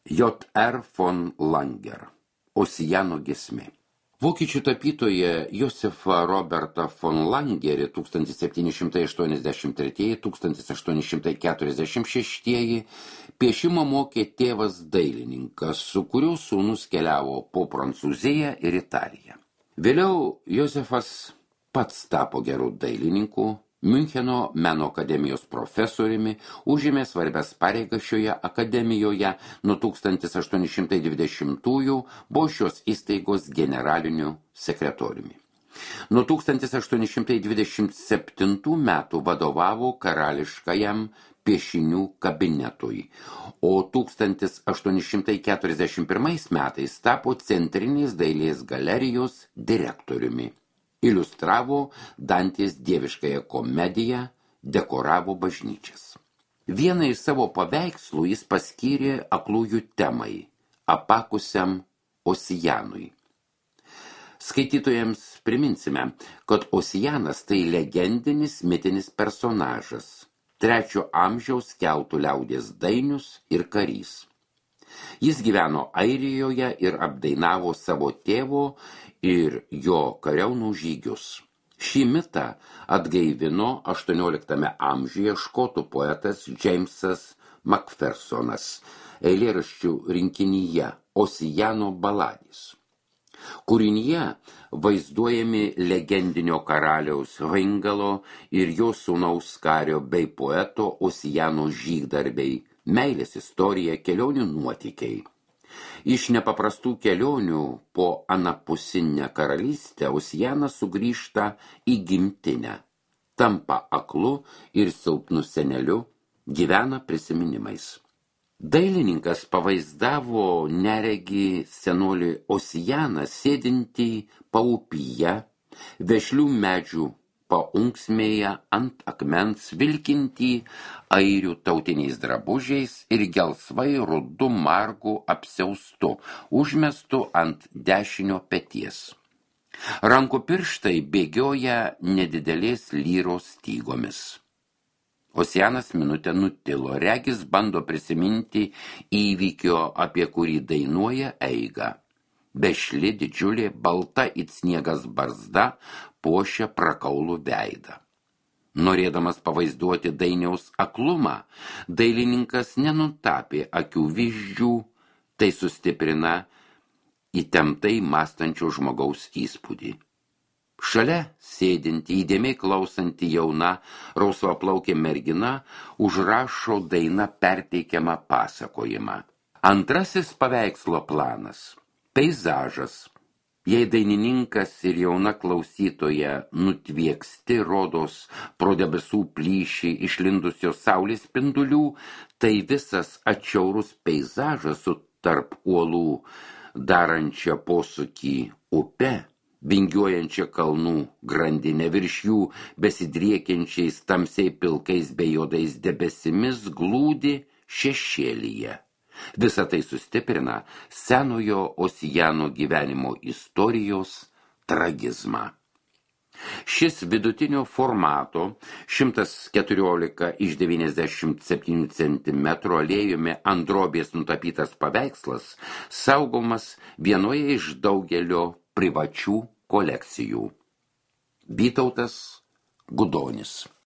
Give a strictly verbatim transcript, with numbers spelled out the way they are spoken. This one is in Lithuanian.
J R von Langer, Osijano giesmė. Vokiečių tapytoja Josefa Roberta von Langerį tūkstantis septyni šimtai aštuoniasdešimt treči - tūkstantis aštuoni šimtai keturiasdešimt šeši piešimo mokė tėvas dailininkas, su kuriuo sūnus keliavo po Prancūziją ir Italiją. Vėliau Josefas pats tapo gerų dailininkų, Miuncheno meno akademijos profesoriumi, užėmė svarbias pareigas šioje akademijoje, nuo tūkstantis aštuoni šimtai dvidešimtųjų buvo šios įstaigos generaliniu sekretoriumi. Nuo tūkstantis aštuoni šimtai dvidešimt septintų metų vadovavo karališkajam piešinių kabinetui, o tūkstantis aštuoni šimtai keturiasdešimt pirmais metais tapo Centrinės dailės galerijos direktoriumi. Iliustravo Dantės dieviškąją komediją, dekoravo bažnyčias. Vieną iš savo paveikslų jis paskyrė aklųjų temai, apakusiam Osijanui. Skaitytojams priminsime, kad Osijanas tai legendinis mitinis personažas, trečio amžiaus keltų liaudies dainius ir karys. Jis gyveno Airijoje ir apdainavo savo tėvo ir jo kariaunų žygius. Šį mitą atgaivino aštuonioliktame amžiuje škotų poetas Jamesas Macphersonas eilėraščių rinkinyje Osijano baladės. Kūrinyje vaizduojami legendinio karaliaus Hringalo ir jo sūnaus kario bei poeto Osijano žygdarbiai, meilės istorija, kelionių nuotykiai. Iš nepaprastų kelionių po anapusinę karalystę Osijanas sugrįžta į gimtinę, tampa aklu ir silpnu seneliu, gyvena prisiminimais. Dailininkas pavaizdavo neregį senolį Osijaną sėdintį paupyje, vešlių medžių paunksmėje ant akmens, vilkintį airių tautiniais drabužiais ir gelsvai rudu margu apsiaustu, užmestu ant dešinio peties. Rankų pirštai bėgioja nedidelės lyros stygomis. Osijanas minutę nutilo, regis bando prisiminti įvykio, apie kurį dainuoja eigą. Bešli didžiulė balta it sniegas barzda puošia prakaulų veidą. Norėdamas pavaizduoti dainiaus aklumą, dailininkas nenutapė akių vyzdžių, tai sustiprina įtemptai mąstančio žmogaus įspūdį. Šalia sėdinti, įdėmiai klausanti jauna, rausvaplaukė mergina užrašo daina perteikiamą pasakojimą. Antrasis paveikslo planas – peizažas. Jei dainininkas ir jauna klausytoja nutvieksti rodos pro debesų plyšį išlindusios saulės spindulių, tai visas atšiaurus peizažas su tarp uolų darančia posūkį upe, vingiuojančia kalnų grandinė, virš jų besidriekiančiais tamsiai pilkais bei juodais debesimis glūdi šešėlyje. Visa tai sustiprina senojo Osijano gyvenimo istorijos tragizmą. Šis vidutinio formato šimtas keturiolika iš devyniasdešimt septynių centimetrų aliejumi ant drobės nutapytas paveikslas saugomas vienoje iš daugelio privačių kolekcijų. Vytautas Gudonis.